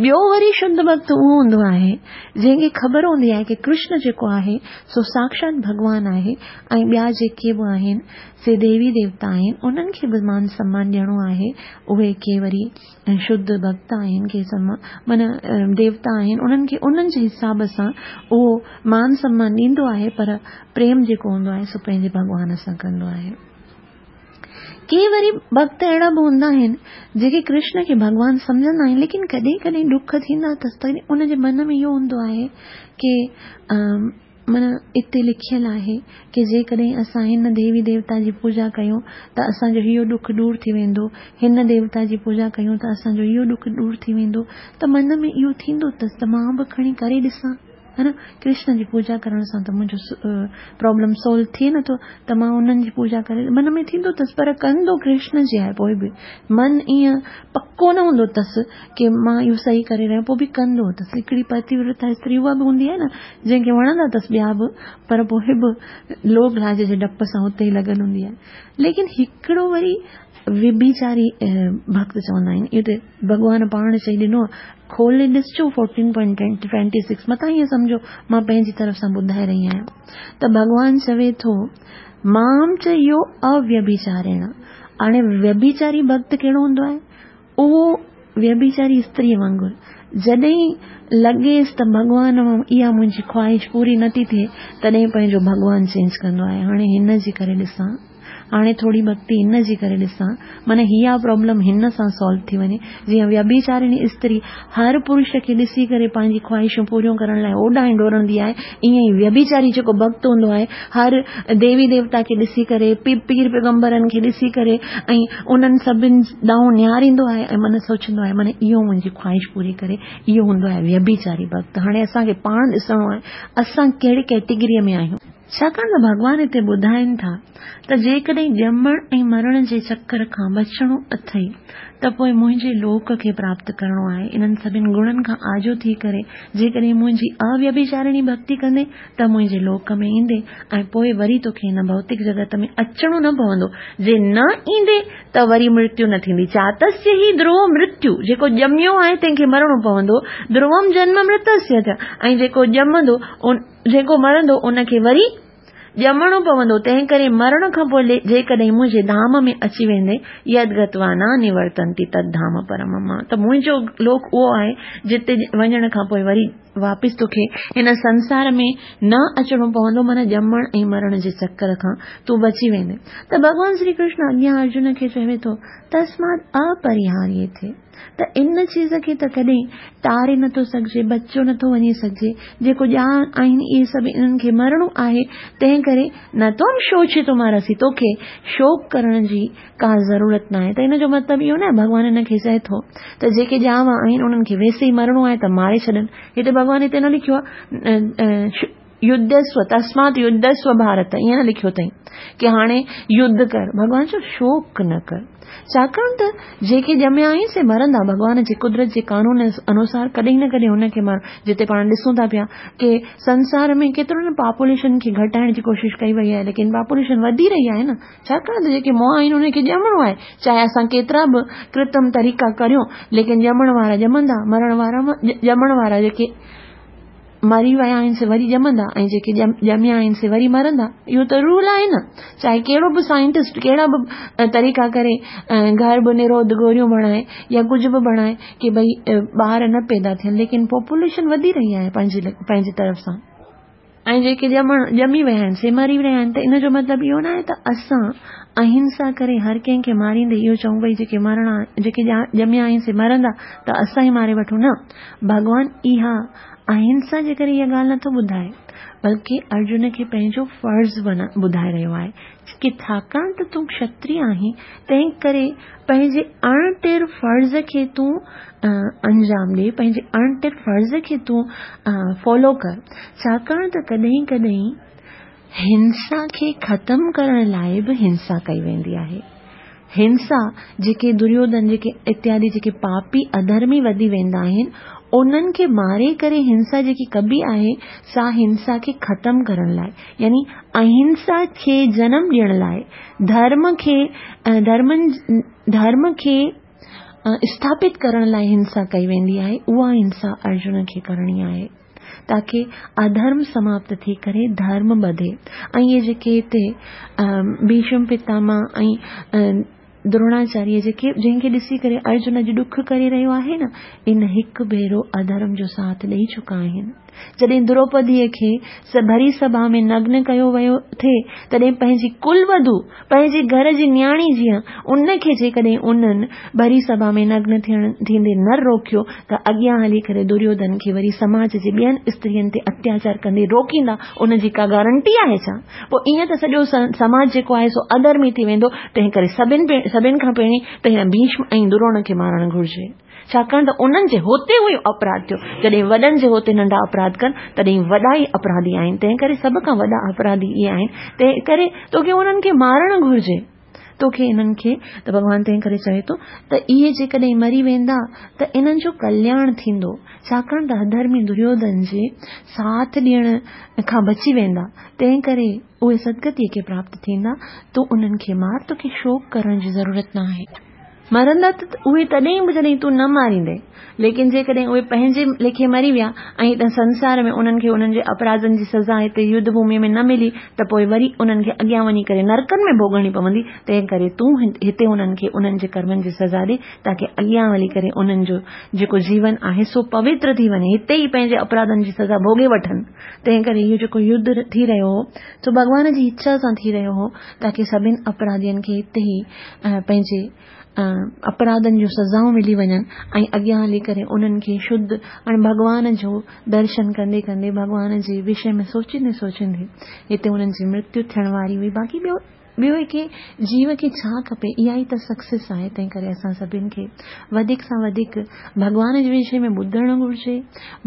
ٻيو وري شڌ ڀڳت اهو هوندو آهي جنهن کي خبر هوندي آهي ڪي ڪرشن جيڪو آهي سو ساڪشات ڀڳوان آهي ۽ ٻيا جيڪي به آهن سي ديوي ديوتا آهن انهن کي به مان سمان ڏيڻو آهي اهي ڪي وري شڌ ڀڳت آهن ڪي معنيٰ ديوتا آهن انهن کي انهن جي حساب سان اهو مان سمان ڏيندو آهي پر پريم جيڪو هوندو آهي سو پنهنجي ڀڳوان سان ڪندو آهي. ڪي وري ڀڳت اهڙا به هوندا آهن جيڪي ڪرشن کي ڀڳوان سمجهندا آهن ليڪن ڪڏهن ڪڏهن ڏک ٿيندا اٿس ته ان جي من ۾ اهو هوندو آهي ڪي معنيٰ اتي لکيل آهي ڪي جيڪڏهن اسان هن ديوي ديوتا جي پوڄا ڪيون ته اسان جو اهو ڏک ڏور ٿي ويندو، هن ديوتا جي پوڄا ڪيون ته اسان جو اهو ڏک ڏور ٿي ويندو ته من ۾ اهو ٿيندو اٿس ته مان به کڻي ڪري ڏسان ها نه ڪرشن جي پوڄا ڪرڻ سان ته منهنجو پرابلم سولو ٿئي نٿو ته مان انهن جي پوڄا ڪري من ۾ ٿيندو اٿس پر ڪندو ڪرشن جي آهي پوء به من ائين پڪو نه هوندو اٿس ڪي مان اهو صحيح ڪري رهيو پوء به ڪندو اٿس هڪڙي پتيورتا استري اها به هوندي آهي نه جنهن کي وڻندا اٿس ٻيا به پر پوء به لوڪ لاج جي ڊپ سان اتي ئي لڳل هوندي آهي ليڪن هڪڙو وري وڀيچاري ڀڳت چوندا آهن اهو ته ڀڳوان پاڻ چئي ڏنو کولي ڏسجو فورٽين پوائنٽ ٽوئنٽي سڪس متان ائين سمجهو مان پنهنجي طرف سان ٻڌائي رهي آهيان ته ڀڳوان چوي ٿو مام چ يو اويڀيچاريڻ هاڻي ويڀيچاري ڀڳت ڪهڙو هوندو آهي اهو ويڀيچاري استريء وانگر جڏهن لڳيس ته ڀڳوان مان اها منهنجي خواهش پوري نٿي ٿئي تڏهن پنهنجو ڀڳوان چينج ڪندو آهي هاڻي هن جي ڪري ڏسان هاڻي ٿوري ڀڳتي هن جي ڪري ڏسان معنيٰ اها پرابلم هن سان سالو ٿي وڃي جيئن ويڀيچارڻي استري هر پرش کي ڏسي ڪري پنهنجي خواهشون پوريون ڪرڻ لاء اوڏانهن ڊوڙندي آهي ائين ئي ويڀيچاري جيڪو ڀڳت هوندو آهي هر ديوي ديوتا کي ڏسي ڪري پير پيغمبرن کي ڏسي ڪري ۽ انهن سڀن ڏانهن نهاريندو آهي ۽ من سوچيندو آهي معنيٰ اهو منهنجي خواهش پوري ڪري اهو هوندو آهي ويڀيچاري ڀڳت هاڻي اسان کي پاڻ ڏسڻو آهي اسان ڪهڙي ڪيٽيگريء ۾ آهيون. ڇاڪاڻ ته ڀڳوان هتي ٻڌائين ٿا ته جيڪڏهن ڄمڻ ۽ مرڻ جي چڪر کان بچڻو اٿئي ته پوء منهنجي لوڪ کي پراپت ڪرڻو آهي. انهن سڀن گڻن کان آجو ٿي ڪري جيڪڏهن منهنجي اويڀيچارڻي ڀڳتي ڪندين ته منهنجي لوڪ ۾ ايندين ۽ پوء وري توکي هن ڀوتڪ جڳت ۾ اچڻو نه پوندو. جي نه ايندين ته وري مرتيو نه ٿيندي. جاتسيه هي ڌرو مرتيو، جيڪو ڄميو آهي تنهن کي مرڻو پوندو، ڌروم جنم مرتسيه چ، ۽ جيڪو ڄمندو ان. جيڪو مرندو ان کي وري ڄمڻو پوندو، تنهنڪري مرڻ کان پوء جيڪڏهن منهنجي ڌام ۾ اچي ويندين، يد گتوا نه نورتنتي تد ڌام پرم مم، ته منهنجو لوڪ اهو آهي جتي وڃڻ کان پوء وري واپس توکي هن سنسار ۾ نه اچڻو پوندو، معنيٰ ڄمڻ ۽ مرڻ جي چڪر کان تون بچي ويندين. ته ڀڳوان شري ڪرشن اڳيان ارجن کي چوي ٿو، تسمات اپريهاريٿي. ته ان چيز کي ته ڪڏهن ٽاري نٿو سگهجي، بچيو نٿو وڃي سگهجي، جيڪو ڄاڻ آهن اهي سڀ انهن کي مرڻو آهي، تنهن ڪري نه تون شوچيتمارهسي توکي شوڪ ڪرڻ جي ڪا ضرورت ناهي ته ان جو مطلب اهو ناهي ڀڳوان هن کي چئي ٿو ته جيڪي ڄاوا آهن انهن کي ويسي ئي مرڻو آهي ته ماري ڇڏن هتي ڀڳوان هتي نه لکيو آهي يڌسو تسمات يڌسو ڀارت ائين نه لکيو اٿئي ڪي هاڻي يڌ ڪر ڀڳوان چيو شوڪ نه ڪر ڇاڪاڻ ته جيڪي ڄميا آهن سي مرندا ڀڳوان جي قدرت جي قانون انوسار ڪڏهن نه ڪڏهن هن کي مر جتي پاڻ ڏسون ٿا پيا ڪي سنسار ۾ ڪيترو نه پاپوليشن کي گهٽائڻ جي ڪوشش ڪئي وئي آهي ليڪن پاپوليشن وڌي رهي آهي نه ڇاڪاڻ ته جيڪي مئا آهن انهن کي ڄمڻو آهي چاهي اسان ڪيترا به ڪرتم طريقا ڪريون ليڪن ڄمڻ وارا ڄمندا مرڻ وارا ڄمڻ وارا جيڪي مري ويا آهن سي وري ڄمندا ۽ جيڪي ڄميا آهن سي وري مرندا اهو ته رول آهي نه چاهي ڪهڙو به سائنٽسٽ ڪهڙا به طريقا ڪري گرڀ نروڌ گوريون بڻائي يا ڪجهه به بڻائي ڪي ڀئي ٻار نه پيدا ٿين ليڪن پاپوليشن وڌي رهي آهي پنهنجي پنهنجي طرف سان ۽ جيڪي ڄمڻ ڄمي ويا آهن سي مري رهيا آهن ته ان جو مطلب اهو نه آهي ته اسان اهنسا ڪري هر ڪنهن کي ماريندي اهو چئون ڀئي جيڪي مرڻا جيڪي ڄميا آهن سي مرندا ته اسان ئي ماري وٺون نه ڀڳوان اها اهنسا جي ڪري اها ڳالهه نٿو ٻڌائي. بلڪه ارجن کي پنهنجو فرض ٻڌائي رهيو آهي ڪي ڇاڪاڻ ته تون کشتري آهين تنهن ڪري پنهنجي اڻٽر فرض کي تون انجام ڏي، پنهنجي اڻٽر فرض کي تون فالو ڪر، ڇاڪاڻ ته ڪڏهن ڪڏهن هنسا کي ختم ڪرڻ لاء به هنسا ڪئي ويندي آهي. هنسا، جيڪي دريوڌن جيڪي اتيادي جيڪي پاپي اڌرمي وڌي ويندا آهن، انهن کي ماري ڪري هنسا جيڪي ڪبي آهي، سا هنسا کي ختم ڪرڻ لاء يعني اهنسا کي جنم ڏيڻ لاء، ڌرم کي ڌرمن ڌرم کي اسٿاپت ڪرڻ لاء هنسا ڪئي ويندي آهي، اها هنسا ارجن کي ڪرڻي آهي. تاڪه اڌرم سماپت ٿي ڪري ڌرم ٻڌي ۽ اهي جيڪي هتي ڀيشم پتاما ۽ دروڻاچاريه جيڪي جنهن کي ڏسي ڪري ارجن اڄ ڏک ڪري رهيو آهي نه ان هڪ ڀيرو اڌرم جو ساٿ ڏئي چڪا آهن. جڏهن دروپديء کي ڀري سڀا ۾ نگن ڪيو ويو ٿي تڏهن پنهنجي ڪل وڌو پنهنجي گهر جي نياڻي جيان ان کي جيڪڏهن انهن ڀري سڀا ۾ نگن ٿيڻ ٿيندي نه روڪيو ته اڳيان هلي ڪري دريوڌن کي وري سماج جي ٻين استرين تي اتياچار ڪندي روڪيندا ان جي ڪا گارنٽي آهي ڇا؟ پوء ائين ته سڄو سماج جيڪو آهي سو اڌرمي ٿي ويندو تنهن ڪري سڀن سڀن کان پهرين ته هن ڀيشم ۽ دروڻ کي مارڻ گهرجي. ڇاڪاڻ ته انهن جي هوتي هوئي اپراڌ ٿيو. جڏهن وڏن جي هوتي ننڍا اپراڌ ڪن، تڏهن وڏا ئي اپراڌي آهن. تنهنڪري سڀ کان وڏا اپراڌي اهي آهن. تنهنڪري توکي انهن کي مارڻ گهرجي. توکي انهن کي ته ڀڳوان تنهنڪري چوي ٿو ته اهي جيڪڏهن مري ويندا ته انهن جو ڪلياڻ ٿيندو. ڇاڪاڻ ته اڌرمي دريوڌن جي ساٿ ڏيڻ کان بچي ويندا. تنهنڪري اهي سدگتيء کي پراپت ٿيندا. تون انهن کي مار، توکي شوڪ ڪرڻ جي ضرورت ناهي. مرندا ته اهي تڏهن به جڏهن تون نه ماريندين، ليڪن جيڪڏهن اهي پنهنجي ليکي مري ويا ۽ هت سنسار ۾ انهن کي انهن جي اپراڌن جي سزا هتي يڌ ڀوميء ۾ نه ملي ته پوء وري انهن کي اڳيان وڃي ڪري نرڪن ۾ ڀوڳڻي پوندي، تنهن ڪري تون هتي انهن کي انهن جي ڪرمن جي سزا ڏي تاڪه اڳيان هلي ڪري انهن جو جيڪو جيون آهي سو پوتر ٿي وڃي، هتي ئي پنهنجي اپراڌن جي سزا ڀوڳي وٺن. تنهن ڪري اهو جيڪو يڌ ٿي رهيو هو سو ڀڳوان جي اڇا سان ٿي رهيو هو تاڪه سڀن اپراڌين کي هتي ئي پنهنجي اپراڌن جون سزائون ملي وڃن ۽ اڳيان هلي ڪري انهن کي شڌ ۽ ڀڳوان جو درشن ڪندي ڪندي ڀڳوان جي وشي ۾ سوچيندي سوچيندي هتي انهن جي مرتيو ٿيڻ واري هئي باقي ٻيو ٻيو هڪ جيو کي ڇا کپي اها ئي ته سڪسيس آهي تنهن ڪري اسان سڀن کي وڌيڪ سان وڌيڪ ڀڳوان جي وشي ۾ ٻڌڻ گهرجي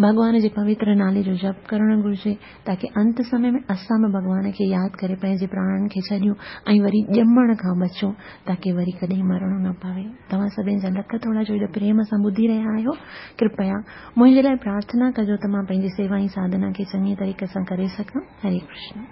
ڀڳوان جي پوتر نالي جو جپ ڪرڻ گهرجي تاڪه انت سمي ۾ اسان به ڀڳوان کي ياد ڪري پنهنجي پراڻن کي ڇڏيون ۽ وري ڄمڻ کان بچون تاڪه وري ڪڏهن مرڻو نه پوي. توهان سڀني جا لک ٿورا جو ايڏو پريم سان ٻڌي رهيا آهيو. ڪرپيا منهنجي لاء پرارٿنا ڪجو ته مان پنهنجي سيوا ۽ ساڌنا کي چڱي طريقي سان ڪري سگهان. هري ڪرشن.